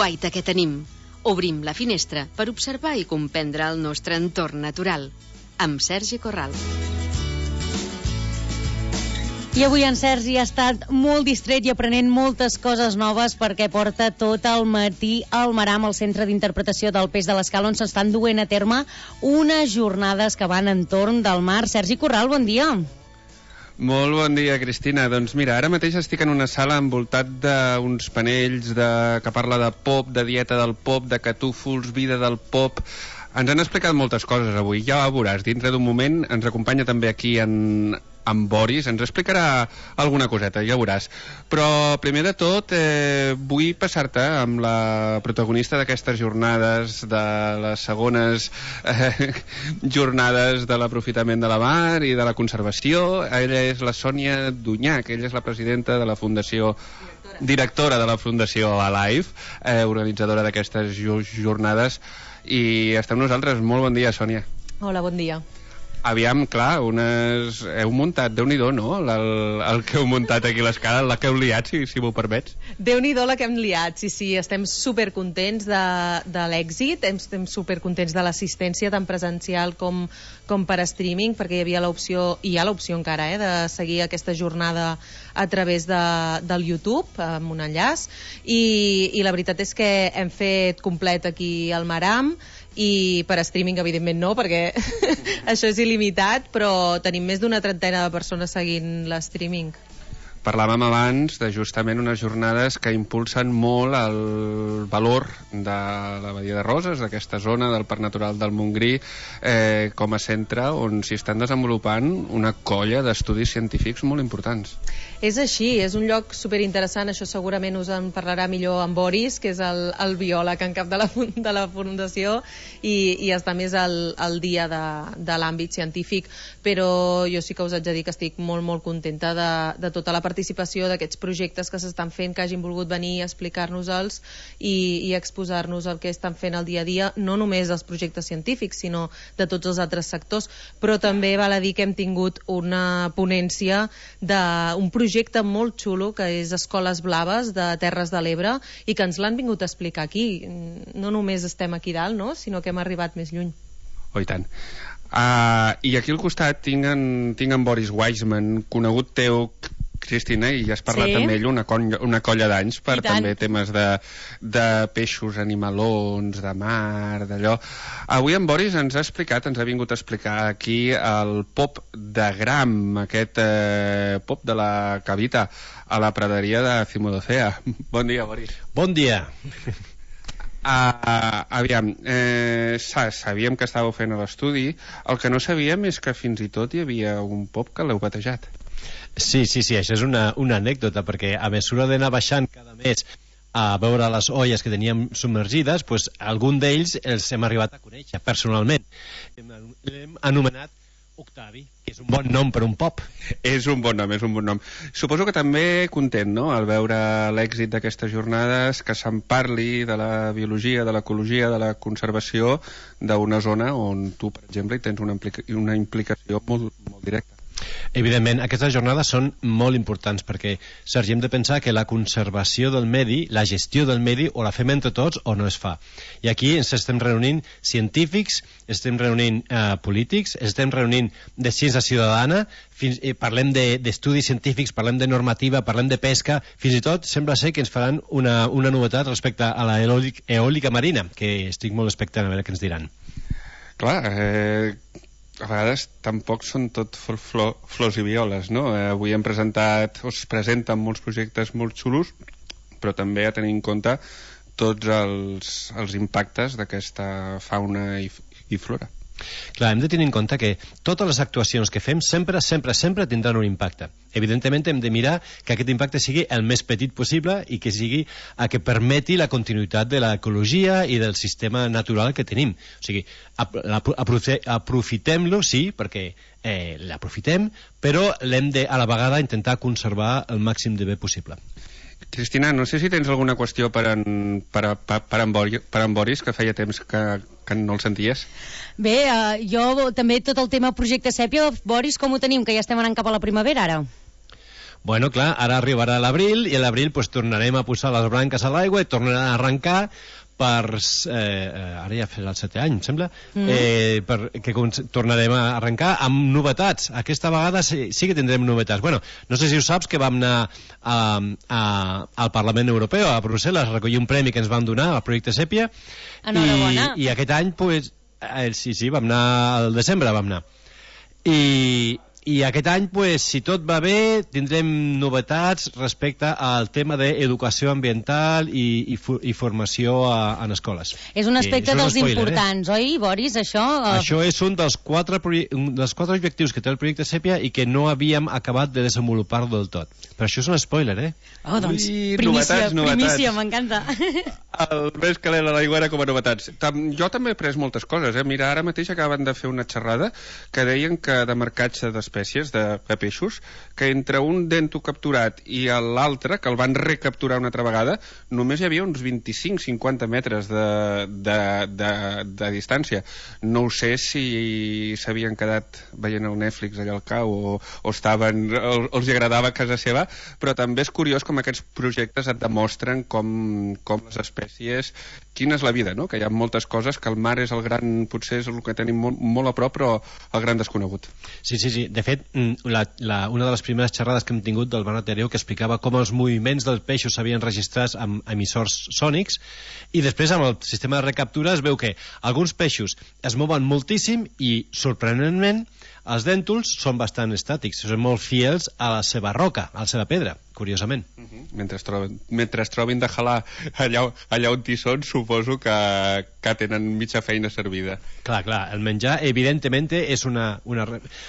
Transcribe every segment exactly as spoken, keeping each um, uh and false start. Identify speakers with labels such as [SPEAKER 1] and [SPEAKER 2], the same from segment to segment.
[SPEAKER 1] guaita que tenim. Obrim la finestra per observar i comprendre el nostre entorn natural. Amb Sergi Corral.
[SPEAKER 2] I avui en Sergi ha estat molt distret i aprenent moltes coses noves perquè porta tot el matí al Maram, al Centre d'Interpretació del Peix de l'Escala, on s'estan duent a terme unes jornades que van entorn del mar. Sergi Corral, bon dia.
[SPEAKER 3] Molt bon dia, Cristina. Doncs mira, ara mateix estic en una sala envoltat d'uns panells de... que parla de pop, de dieta del pop, de catúfols, vida del pop. Ens han explicat moltes coses avui, ja ho veuràs. Dintre d'un moment ens acompanya també aquí en, en Boris, ens explicarà alguna coseta, ja veuràs. Però primer de tot eh, vull passar-te amb la protagonista d'aquestes jornades, de les segones eh, jornades de l'aprofitament de la mar i de la conservació. Ella és la Sònia Dunyach, ella és la presidenta de la Fundació... directora de la Fundació Alive, eh, organitzadora d'aquestes jornades, i està amb nosaltres. Molt bon dia, Sònia.
[SPEAKER 4] Hola, bon dia.
[SPEAKER 3] Aviam, clar, unes... heu muntat, Déu-n'hi-do, no? El, el que heu muntat aquí a l'escala, la que heu liat, si, si m'ho permets.
[SPEAKER 4] Déu-n'hi-do la que hem liat, sí, sí, estem supercontents de, de l'èxit, estem supercontents de l'assistència tant presencial com, com per streaming, perquè hi havia l'opció, i hi ha l'opció encara, eh, de seguir aquesta jornada a través de, del YouTube, amb un enllaç, i, i la veritat és que hem fet complet aquí al Maram, i per streaming evidentment no, perquè això és il·limitat, però tenim més d'una trentena de persones seguint l'streaming.
[SPEAKER 3] Parlàvem abans de justament unes jornades que impulsen molt el valor de la Badia de Roses, d'aquesta zona del Parc Natural del Montgrí, eh, com a centre on s'hi estan desenvolupant una colla d'estudis científics molt importants.
[SPEAKER 4] És així, és un lloc superinteressant, això segurament us en parlarà millor en Boris, que és el, el biòleg en cap de la, de la Fundació, i, i està més al, al dia de, de l'àmbit científic, però jo sí que us haig de dir que estic molt, molt contenta de, de tota la participació d'aquests projectes que s'estan fent, que hagin volgut venir a explicar-nos-els i, i exposar-nos el que estan fent al dia a dia, no només els projectes científics, sinó de tots els altres sectors, però també val a dir que hem tingut una ponència d'un projecte molt xulo, que és Escoles Blaves de Terres de l'Ebre, i que ens l'han vingut a explicar aquí. No només estem aquí dalt, no?, sinó que hem arribat més lluny.
[SPEAKER 3] Oh, i tant. Uh, I aquí al costat tinc en, tinc en Boris Weissman, conegut teu, Cristina, i ja has parlat sí. amb ell una colla, una colla d'anys per també temes de, de peixos, animalons, de mar, d'allò. Avui en Boris ens ha explicat, ens ha vingut a explicar aquí el pop de Gram, aquest eh, pop de la que habita a la praderia de Cimodocea. Bon dia, Boris.
[SPEAKER 5] Bon dia.
[SPEAKER 3] Uh, aviam, eh, sabíem que estàveu fent l'estudi, el que no sabíem és que fins i tot hi havia un pop que l'heu batejat.
[SPEAKER 5] Sí, sí, sí, això és una, una anècdota, perquè a mesura d'anar baixant cada mes a veure les olles que teníem submergides, pues, algun d'ells els hem arribat a conèixer personalment. L'hem anomenat Octavi, que és un bon nom per un pop.
[SPEAKER 3] És un bon nom, és un bon nom. Suposo que també content, no?, al veure l'èxit d'aquestes jornades, que se'n parli de la biologia, de l'ecologia, de la conservació d'una zona on tu, per exemple, hi tens una, implica una implicació molt, molt directa.
[SPEAKER 5] Evidentment, aquestes jornades són molt importants perquè, Sergi, hem de pensar que la conservació del medi, la gestió del medi, o la fem entre tots o no es fa. I aquí ens estem reunint científics, estem reunint eh, polítics, estem reunint de ciència ciutadana, fins, eh, parlem d'estudis de, científics, parlem de normativa, parlem de pesca, fins i tot sembla ser que ens faran una, una novetat respecte a la eòlica marina, que estic molt expectant a veure què ens diran.
[SPEAKER 3] Clar, eh... a vegades tampoc són tot flor, flors i violes, no? Eh, avui hem presentat, o es presenten molts projectes molt xulos, però també a tenir en compte tots els, els impactes d'aquesta fauna i, i flora.
[SPEAKER 5] Clar, hem de tenir en compte que totes les actuacions que fem sempre, sempre, sempre tindran un impacte. Evidentment hem de mirar que aquest impacte sigui el més petit possible i que sigui a que permeti la continuïtat de l'ecologia i del sistema natural que tenim. O sigui, aprofitem-lo, sí, perquè eh, l'aprofitem, però l'hem de, a la vegada, intentar conservar el màxim de bé possible.
[SPEAKER 3] Cristina, no sé si tens alguna qüestió per en, per, per, per en, Boris, per en Boris, que feia temps que, que no el senties.
[SPEAKER 2] Bé, uh, jo també tot el tema projecte Sèpia, Boris, com ho tenim, que ja estem anant cap a la primavera ara?
[SPEAKER 5] Bueno, clar, ara arribarà l'abril i a l'abril pues, tornarem a posar les branques a l'aigua i tornarà a arrencar per... Eh, ara ja farà el setè any, em sembla, mm. eh, per, que tornarem a arrencar amb novetats. Aquesta vegada sí, sí que tindrem novetats. Bueno, no sé si ho saps que vam anar a, a, al Parlament Europeu, a Brussel·les, a recollir un premi que ens van donar al projecte Sèpia.
[SPEAKER 2] Enhorabona.
[SPEAKER 5] I, i aquest any, pues, eh, sí, sí, vam anar al desembre, vam anar. I... I aquest any, pues, si tot va bé, tindrem novetats respecte al tema d'educació ambiental i, i, i formació a, en escoles.
[SPEAKER 2] És un aspecte dels spoiler, importants, eh? Oi, Boris, això?
[SPEAKER 5] Això és un dels quatre, un dels quatre objectius que té el projecte Sèpia i que no havíem acabat de desenvolupar del tot. Però això és un spoiler, eh?
[SPEAKER 2] Oh, doncs,
[SPEAKER 3] I
[SPEAKER 2] primícia,
[SPEAKER 3] novetats, novetats.
[SPEAKER 2] primícia, m'encanta.
[SPEAKER 3] El més calent a l'aigua era com a novetats. Jo també he pres moltes coses, eh? Mira, ara mateix acaben de fer una xerrada que deien que de marcatge d'espècies, de, de peixos, que entre un dento capturat i l'altre, que el van recapturar una altra vegada, només hi havia uns vint-i-cinc a cinquanta metres de, de, de, de distància. No ho sé si s'havien quedat veient el Netflix allà al cau o, o estaven, o, els agradava a casa seva, però també és curiós com aquests projectes et demostren com, com les espècies, quina és la vida, no? Que hi ha moltes coses, que el mar és el gran, potser és el que tenim molt, molt a prop, però el gran desconegut.
[SPEAKER 5] Sí, sí, sí. De fet, la, la, una de les primeres xerrades que hem tingut del Bernat Hereu que explicava com els moviments dels peixos s'havien registrat amb emissors sònics i després amb el sistema de recaptura es veu que alguns peixos es mouen moltíssim i, sorprenentment, els dèntols són bastant estàtics, són molt fiels a la seva roca, a la seva pedra, curiosament. Uh -huh.
[SPEAKER 3] Mentre es trobin, mentre es trobin de jalar allà, allà on hi són, suposo que, que tenen mitja feina servida.
[SPEAKER 5] Clar, clar, el menjar, evidentment, és una... una...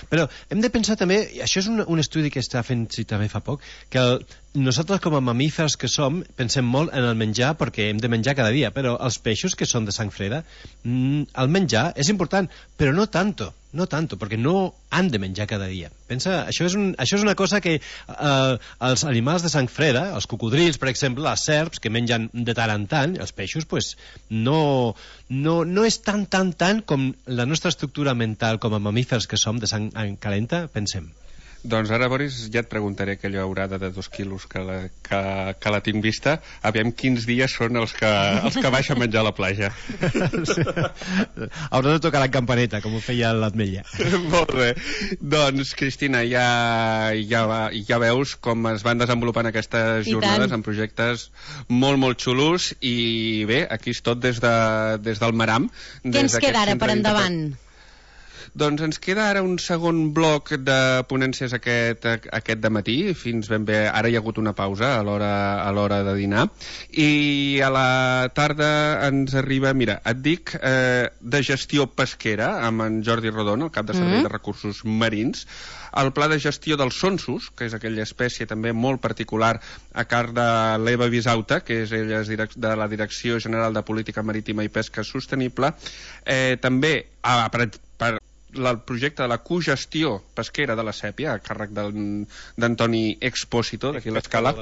[SPEAKER 5] Però hem de pensar també, i això és un, un estudi que està fent sí, també fa poc, que el, nosaltres com a mamífers que som pensem molt en el menjar perquè hem de menjar cada dia, però els peixos que són de sang freda, el menjar és important, però no tanto. No tanto, perquè no han de menjar cada dia. Pensa, això és, un, això és una cosa que eh, els animals de sang freda, els cocodrils, per exemple, les serps, que mengen de tant en tant, els peixos, pues, no, no, no és tan, tan, tan com la nostra estructura mental com a mamífers que som de sang calenta, pensem.
[SPEAKER 3] Doncs ara, Boris, ja et preguntaré aquella aurada de dos quilos que la, que, que la tinc vista. Aviam quins dies són els que, els que baix a menjar a la platja.
[SPEAKER 5] Sí. Haurà de tocar la campaneta, com ho feia l'Atmetlla.
[SPEAKER 3] Molt bé. Doncs, Cristina, ja, ja, ja veus com es van desenvolupant aquestes jornades en projectes molt, molt xulos i bé, aquí és tot des, de, des del Maram.
[SPEAKER 2] Què ens queda ara per endavant?
[SPEAKER 3] Doncs ens queda ara un segon bloc de ponències aquest, aquest dematí, fins ben bé, ara hi ha hagut una pausa a l'hora a l'hora de dinar, i a la tarda ens arriba, mira, et dic, eh, de gestió pesquera, amb en Jordi Rodon, el cap de Servei mm. de Recursos Marins, el pla de gestió dels sonsos, que és aquella espècie també molt particular a càrrec de l'Eva Bisauta, que és ella és de la Direcció General de Política Marítima i Pesca Sostenible, eh, també a, per, per el projecte de la cogestió pesquera de la Sèpia, a càrrec d'Antoni Expósito, d'aquí l'Escala,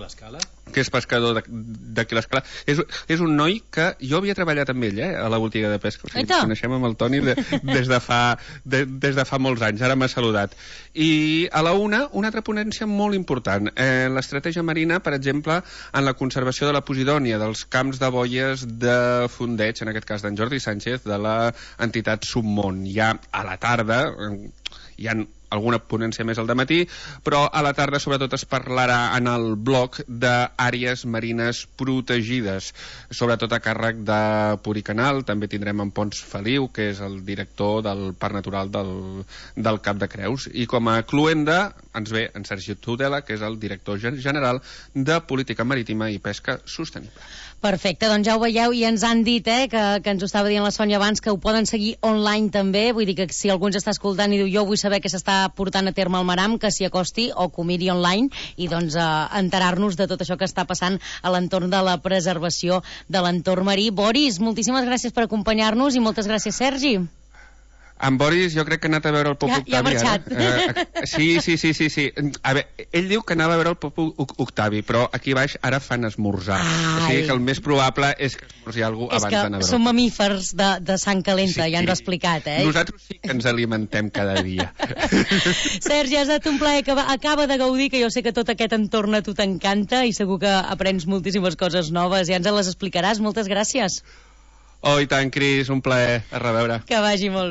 [SPEAKER 3] que és pescador d'aquí l'Escala. És, és un noi que jo havia treballat amb ell, eh, a la botiga de pesca. O sigui, ens coneixem amb el Toni de, des, de fa, de, des de fa molts anys. Ara m'ha saludat. I a la una, una altra ponència molt important. Eh, l'estratègia marina, per exemple, en la conservació de la posidònia, dels camps de boies de fondeig, en aquest cas d'en Jordi Sánchez, de l'entitat Submont. Ja a la tarda hi ha alguna ponència més al dematí, però a la tarda sobretot es parlarà en el bloc d'àrees marines protegides, sobretot a càrrec de Puricanal. També tindrem en Pons Feliu, que és el director del Parc Natural del, del Cap de Creus, i com a cluenda ens ve en Sergi Tudela, que és el director general de Política Marítima i Pesca Sostenible.
[SPEAKER 2] Perfecte, doncs ja ho veieu i ens han dit eh, que, que ens ho estava dient la Sònia abans, que ho poden seguir online també, vull dir que si algú ens està escoltant i diu jo vull saber què s'està portant a terme al Maram, que s'hi acosti o que ho miri online i doncs eh, enterar-nos de tot això que està passant a l'entorn de la preservació de l'entorn marí. Boris, moltíssimes gràcies per acompanyar-nos i moltes gràcies, Sergi.
[SPEAKER 3] En Boris jo crec que ha anat a veure el Pop
[SPEAKER 2] Ja-
[SPEAKER 3] Octavi.
[SPEAKER 2] ja ha marxat.
[SPEAKER 3] Ara. Eh, sí, sí, sí, sí, sí. A veure, ell diu que anava a veure el Pop Oc- Octavi, però aquí baix ara fan esmorzar.
[SPEAKER 2] Ai.
[SPEAKER 3] O sigui que el més probable és que esmorzi algú
[SPEAKER 2] És
[SPEAKER 3] abans
[SPEAKER 2] que
[SPEAKER 3] d'anar a veure
[SPEAKER 2] som
[SPEAKER 3] el Pop.
[SPEAKER 2] mamífers de, de sang calenta,
[SPEAKER 3] Sí,
[SPEAKER 2] ja ens ho ha
[SPEAKER 3] sí.
[SPEAKER 2] explicat, eh?
[SPEAKER 3] Nosaltres sí que ens alimentem cada dia.
[SPEAKER 2] Sergi, ha estat un plaer, que va- acaba de gaudir, que jo sé que tot aquest entorn a tu t'encanta i segur que aprens moltíssimes coses noves, ja ens les explicaràs. Moltes gràcies.
[SPEAKER 3] Oh, i tant, Cris, un plaer. A reveure.
[SPEAKER 2] Que vagi molt bé.